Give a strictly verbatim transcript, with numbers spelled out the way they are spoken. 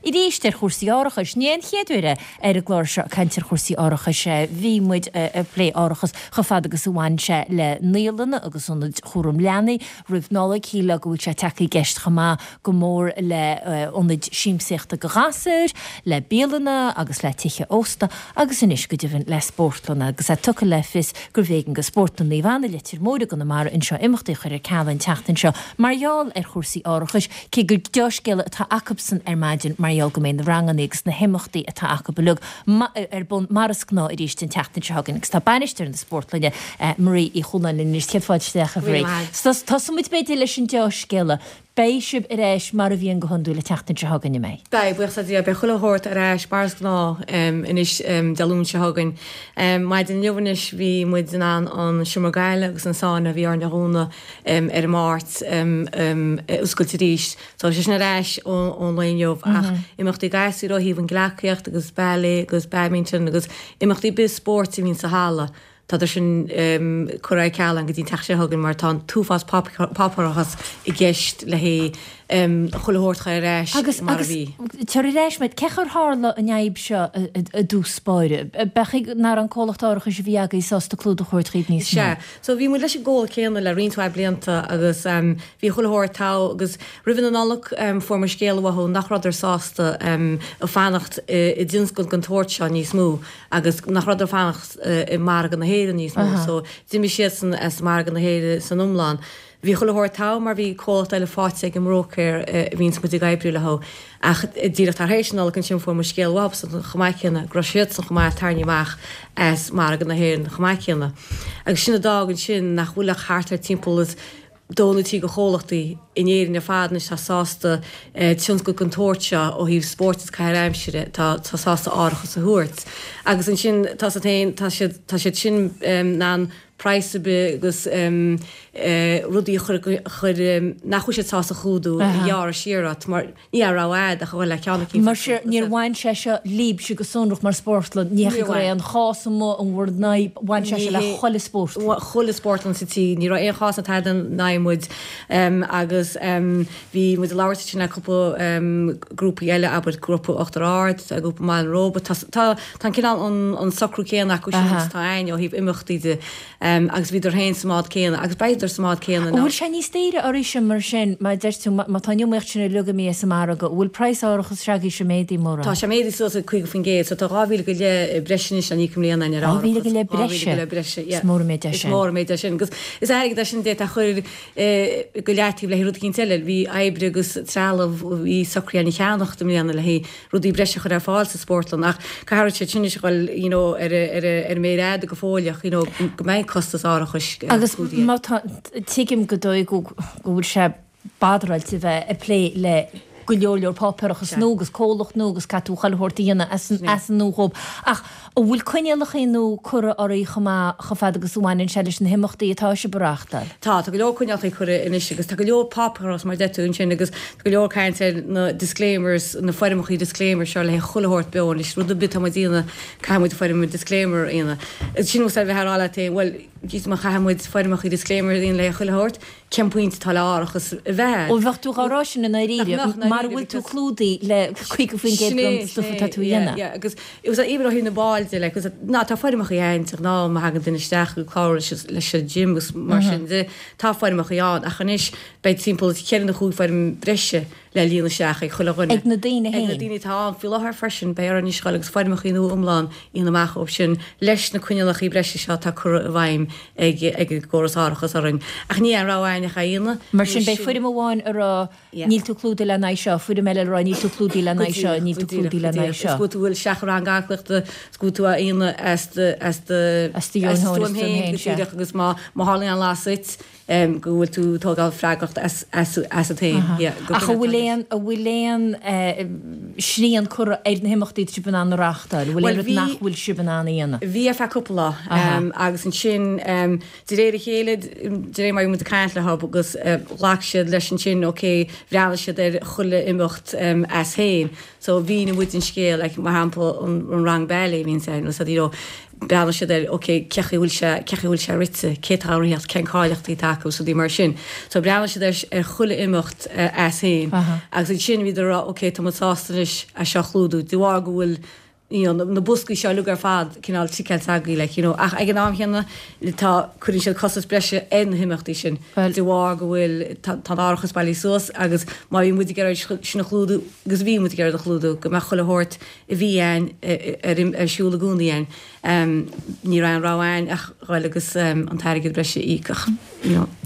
arís ar chúrsaí árachais. Ní an chéad uair ar an gclár seo caint ar chúrsaí árachais. Bhí muid ag plé árachas chomh fada agus a bhain sé le naíolanna agus ionaid chúram leanaí roimh Nollaig. Shílfeá go bhfuil sé tagtha i gceist chomh maith go mór le ionaid siamsaíochta do ghasúir, le bialanna agus le tithe ósta agus anois go deimhin le spórtlanna agus é tugtha le fios gurbh éigean do Spórtlann Naomh Anna Leitir Móir i gConamara anseo imeachtaí a chur ar ceal an tseachtain seo mar gheall ar chúrsaí árachais, cé gur dea-scéala atá acusan ar maidin mar gheall go mbeidh na ranganna agus na himeachtaí atá acu uilig ar bun mar is gnáth arís an tseachtain seo chugainn agus tá bainisteoir na spórtlainne Marie Uí Chualáin linn anois. Céad fáilte isteach a Mharie. Tosóidh muid b'fhéidir leis an dea-scéala. Beidh sibh ar ais mar a bhíonn go hiondúil an tseachtain seo chugainn, an mbeidh? Beidh, buíochas le Dia, beidh chuile shórt ar ais mar is gnáth anois Dé Luain seo chugainn. Maidin inniu anois bhí muid in ann an seomra gaile agus an sauna a bhí orainn a dhúnadh ar an Máirt a oscailt arís. So tá sé sin ar ais ón lae inniu ach imeachtaí gasúir ó thaobh an gleacaíocht agus ballet agus badminton agus imeachtaí ar bith spóirt a bhíonn sa halla. Tá sin curtha ar ceal go dtí an tseachtain seo chugainn mar tá an t-uafás páipéarachas i gceist le haghaidh chuile shórt a chur ar ais mar a bhí. Agus tar ar ais muid, cén chaoi ar tharla an fhadhb seo i dtús báire? B'fhéidir nach raibh an comhlacht árachais a bhí agaibh sásta clúdach a thabhairt dhaoibh níos mó? Sea. So bhí muid leis an gcomhlacht céanna le roinnt mhaith blianta agus bhí chuile shórt togha agus roimh na Nollag fuair muid scéala uathu nach rabhadar sásta fanacht i dtionscal den tsórt seo níos mó agus nach rabhadar fanacht i margadh na hÉireann níos mó so d'imigh siadsan as margadh na hÉireann san iomlán. Bhí chuile shórt togha mar bhí comhlacht eile faighte ag an mbróicéir a bhíonns muid ag oibriú leo ach díreach tar éis na Nollag ansin fuair muid scéal uathu chomh maith céanna go raibh siadsan chomh maith tarraingthe amach as margadh na hÉireann chomh maith céanna. Agus sin a d'fhág ansin nach bhfuil ach thart ar timpeall is dó nó trí de chomhlachtaí in Éirinn ar fad anois atá sásta tionscal den tsórt seo ó thaobh spóirt is caitheamh aimsire atá sásta árachas a thabhairt. Agus ansin tá siad féin tá siad tá siad sin in ann praghas ar bith agus rudaí a chur chur nach bhfuil siad sásta a chlúdú a ghearradh siar ort mar ní raibh rogha a'd ach a dhul le ceann eicínt. Mar sin níor bhain sé seo libhse go sonrach mar spórtlann, ní hea go raibh aon chás amuigh in bhur n-aghaidh, bhain sé seo le chuile spórtlann. Chuile spórtlann sa tír, ní raibh aon chás ná tada in aghaidh muid agus bhí muid ag labhairt ansin le cúpla grúpaí eile, abair grúpa Uachtar Ard, grúpa Mbaile an Róba, tá tá an cineál an socrú céanna acu sin agus atá a'ainn ó thaobh imeachtaí de. Agus bhíodar féin sa mbád céanna agus beidar sa mbád céanna An bhfuil sé níos daoire oraibhse mar sin, mar a deir tú, má tá an iomaíocht sin uilig imithe as an margadh, an bhfuil praghas árachas s'agaibhse méadaithe mórán? Tá sé méadaithe suas ag caoga faoin gcéad, so tá dhá mhíle go leith breise anois le n-íoc i mbliana ar Dhá árachas. mhíle go leith Dhá mhíle go breise? leith breise, yeah. Is mór an méid é Is sin. mór an méid é sin. Agus is airgead é sin a d'fhéadfá a chur go leataobh le haghaidh rud eicínt eile. Bhí oibre agus trealamh, bhí socraithe againn a cheannacht i mbliana le haghaidh rudaí breise a chur ar fáil sa spórtlann ach caithfidh siad sin anois a dhul you know ar ar ar an méar fhada go fóilleach you know go mbeidh costas árachais Agus clúdaithe. má tá, tuigim go dóigh go go bhfuil sé bodráilte bheith ag plé le go leor leor páipéarachas nua agus comhlacht nua agus caithfidh tú chuile shórt a dhéanamh as an as an nua dhóibh. Ach an bhfuil coinníollacha nua curtha oraibh chomh maith chomh fada agus a bhaineann sé leis na himeachtaí atá sibh a reáchtáil? Tá, tá go leor coinníollacha curtha anois agus tá go leor páipéarachas mar a deir tú ansin agus tá go leor caint ar na disclaimers, na foirmeacha disclaimer seo le haghaidh chuile shórt beo anois, rud ar bith atá muid a dhéanamh caithfidh muid foirm disclaimer a dhéanamh. Sin nós ar bheith ag rá leat féin, bhuel, jeez má chaithfidh muid foirmeacha disclaimer a dhéanamh le haghaidh chuile shórt, cén pointe atá le árachas a bheith Ó bheadh tú dhá rá sin i ndáiríre, Nach mbeadh, mara bhfuil tú clúdaithe le caoga faoin gcéad Sin é, den stuif sin atá é, tú a yeah, dhéanamh. yeah, agus agus even ó thaobh na baill de, like, ná tá foirmeacha ann de ghnáth má thagann duine isteach go clárú leis leis an gym agus mar sin de, tá foirmeacha ann ach anois beidh timpeall ceithre nó chúig foirm breise le líonadh isteach ag chuile dhuine. Ag na daoine Ag na féin. daoine atá ann faoi láthair freisin, beidh orainn anois dhul agus foirmeacha nua iomlán a dhéanamh amach dóibh sin leis na coinníollacha breise seo atá curtha i bhfeidhm ag ag an gcóras árachas orainn. Ach ní aon rogha againn ach é a dhéanamh. Mar sin beidh foirm amháin a rá níl tú clúdaithe le n-aghaidh seo, foirm eile a rá níl tú clúdaithe le Go n-aghaidh seo, díreach, níl go tú díreach, clúdaithe go le n-aghaidh díreach. Is seo. go bhfuil tú ag isteach i rang aclaíochta, is go bhfuil tú á dhéanamh as do as do As do as do dheoin stuaim féin, féin, go sea. díreach, agus má má tharlaíonn an lasadh duit, go bhfuil tú ag tógáil freagracht as asat féin. Ach an bhfuil aon, an bhfuil aon srian curtha ar na himeachtaí atá sibh in ann a reáchtáil? An bhfuil aon rud nach bhfuil sibh in ann a dhéanamh? Bhí ar feadh cúpla lá agus ansin de réir a chéile, de réir mar a bhí muid ag caint leo agus ghlac siad leis ansin, ok, bhreathnaigh siad ar chuile imeacht as féin. So mhínigh muid an scéal, like mar shampla an rang ballet a bhíonns ann, you know, Bhreathnaigh siad ar, ok, cé chaoi a bhfuil sé, cé chaoi a bhfuil sé rite, cé atá á ritheacht, cén cáilíochtaí atá acu agus rudaí mar sin. So bhreathnaigh siad ar, ar chuile imeacht as féin agus ansin bhíodar ag rá, ok, tá muid sásta anois anois é seo a chlúdú de bharr go bhfuil you know, na boscaí seo uilig ar fad cineál ticeáilte againn like, you know, ach ag an am chéanna tá cuireann siad costas breise ar na himeachtaí sin de bharr go bhfuil tá an árachas bailithe suas agus má bhí muid ag iarraidh sin a chlúdú agus bhí muid ag iarraidh a chlúdú go mbeadh chuile shórt a bhí ann ar ar siúl i gcónaí ann um, ní raibh aon rogha ann ach dhul agus um, an t-airgead breise a íoc you know.